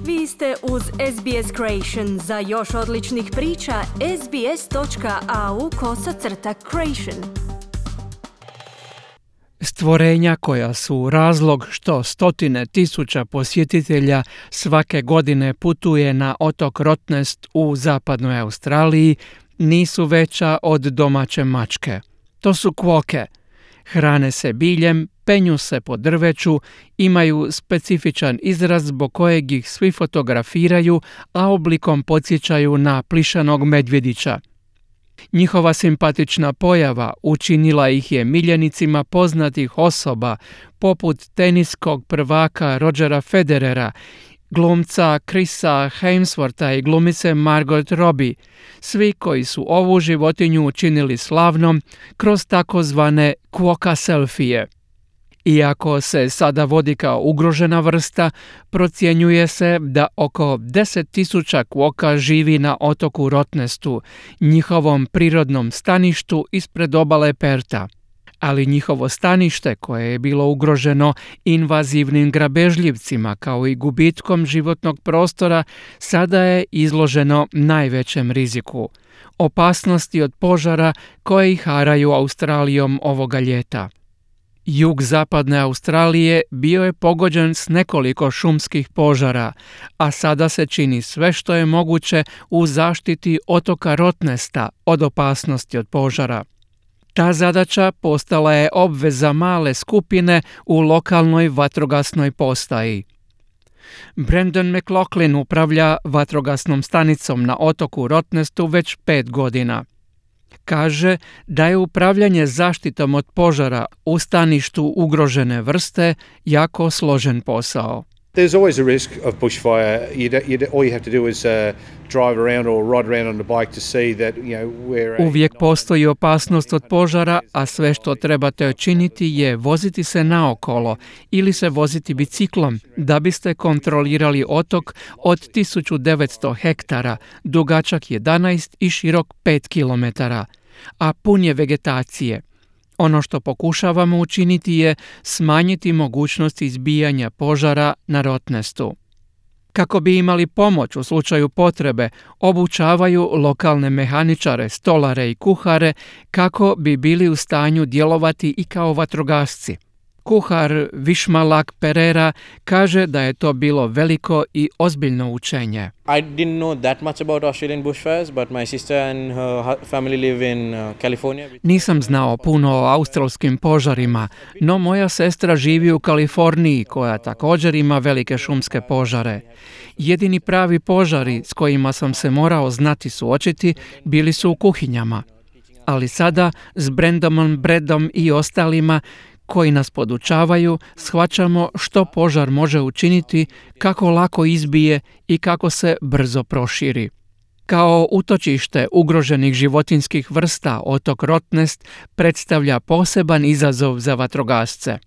Vi ste uz SBS Creation. Za još odličnih priča, sbs.au/creation. Stvorenja koja su razlog što stotine tisuća posjetitelja svake godine putuje na otok Rottnest u zapadnoj Australiji nisu veća od domaće mačke. To su kvoke. Hrane se biljem, penju se po drveću, imaju specifičan izraz zbog kojeg ih svi fotografiraju, a oblikom podsjećaju na plišanog medvjedića. Njihova simpatična pojava učinila ih je miljenicima poznatih osoba, poput teniskog prvaka Rodgera Federera, glumca Chrisa Hemswortha i glumice Margot Robbie, svi koji su ovu životinju učinili slavnom kroz takozvane kvoka selfije. Iako se sada vodi kao ugrožena vrsta, procjenjuje se da oko 10.000 kvoka živi na otoku Rottnestu, njihovom prirodnom staništu ispred obale Perta. Ali njihovo stanište, koje je bilo ugroženo invazivnim grabežljivcima kao i gubitkom životnog prostora, sada je izloženo najvećem riziku – opasnosti od požara koje ih haraju Australijom ovoga ljeta. Jug zapadne Australije bio je pogođen s nekoliko šumskih požara, a sada se čini sve što je moguće u zaštiti otoka Rottnesta od opasnosti od požara. Ta zadaća postala je obveza male skupine u lokalnoj vatrogasnoj postaji. Brandon McLaughlin upravlja vatrogasnom stanicom na otoku Rottnestu već 5 godina. Kaže da je upravljanje zaštitom od požara u staništu ugrožene vrste jako složen posao. There's always a risk of bushfire. All you have to do is drive around or ride around on the bike to see that, where... Uvijek postoji opasnost od požara, a sve što trebate učiniti je voziti se naokolo ili se voziti biciklom da biste kontrolirali otok od 1900 hektara, dugačak 11 i širok 5 kilometara, a pun je vegetacije. Ono što pokušavamo učiniti je smanjiti mogućnost izbijanja požara na Rottnestu. Kako bi imali pomoć u slučaju potrebe, obučavaju lokalne mehaničare, stolare i kuhare kako bi bili u stanju djelovati i kao vatrogasci. Kuhar Vishmalak Perera kaže da je to bilo veliko i ozbiljno učenje. I didn't know that much about Australian bushfires, but my sister and her family live in California. Nisam znao puno o australskim požarima, no moja sestra živi u Kaliforniji koja također ima velike šumske požare. Jedini pravi požari s kojima sam se morao znati suočiti bili su u kuhinjama. Ali sada s Brandonom Bredom i ostalima koji nas podučavaju, shvaćamo što požar može učiniti, kako lako izbije i kako se brzo proširi. Kao utočište ugroženih životinjskih vrsta, otok Rottnest predstavlja poseban izazov za vatrogasce.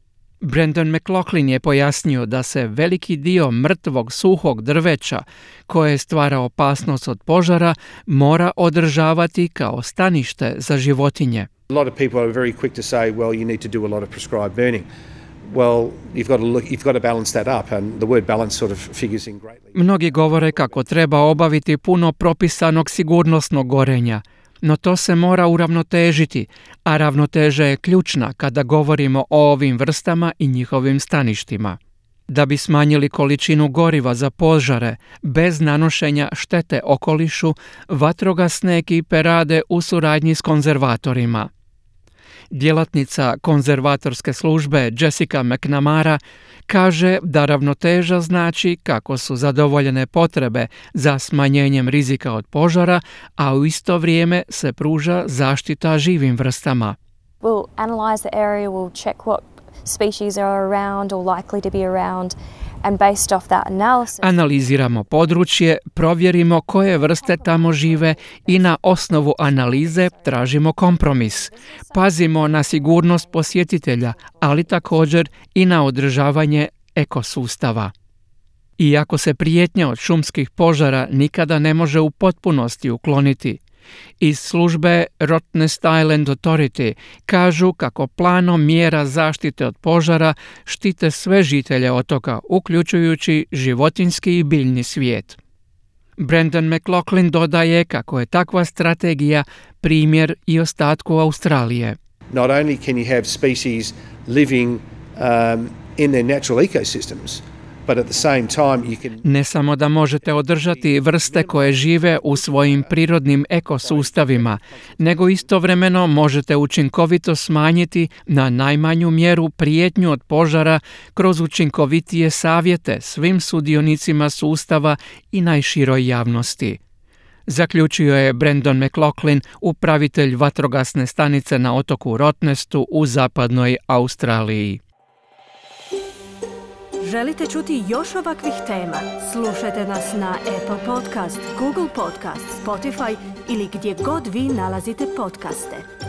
Brandon McLaughlin je pojasnio da se veliki dio mrtvog suhog drveća, koje stvara opasnost od požara, mora održavati kao stanište za životinje. A lot of people are very quick to say, well, you need to do a lot of prescribed burning. Well, you've got to balance that up, and the word balance sort of figures in greatly. Mnogi govore kako treba obaviti puno propisanog sigurnosnog gorenja, no to se mora uravnotežiti, a ravnoteža je ključna kada govorimo o ovim vrstama i njihovim staništima. Da bi smanjili količinu goriva za požare bez nanošenja štete okolišu, vatrogasne ekipe rade u suradnji s konzervatorima. Djelatnica konzervatorske službe Jessica McNamara kaže da ravnoteža znači kako su zadovoljene potrebe za smanjenjem rizika od požara, a u isto vrijeme se pruža zaštita živim vrstama. We'll analyze the area, we'll check what species are around or likely to be around, and based off that analysis... Analiziramo područje, provjerimo koje vrste tamo žive i na osnovu analize tražimo kompromis. Pazimo na sigurnost posjetitelja, ali također i na održavanje ekosustava. Iako se prijetnja od šumskih požara nikada ne može u potpunosti ukloniti, Iz službe Rottnest Island Authority kažu kako planom mjera zaštite od požara štite sve žitelje otoka, uključujući životinjski i biljni svijet. Brendan McLaughlin dodaje kako je takva strategija primjer i ostatku Australije. Not only can you have species living in their natural ecosystems, but at the same time you can... Ne samo da možete održati vrste koje žive u svojim prirodnim ekosustavima, nego istovremeno možete učinkovito smanjiti na najmanju mjeru prijetnju od požara kroz učinkovitije savjete svim sudionicima sustava i najširoj javnosti. Zaključio je Brendan McLaughlin, upravitelj vatrogasne stanice na otoku Rottnestu u zapadnoj Australiji. Želite čuti još ovakvih tema? Slušajte nas na Apple Podcast, Google Podcast, Spotify ili gdje god vi nalazite podcaste.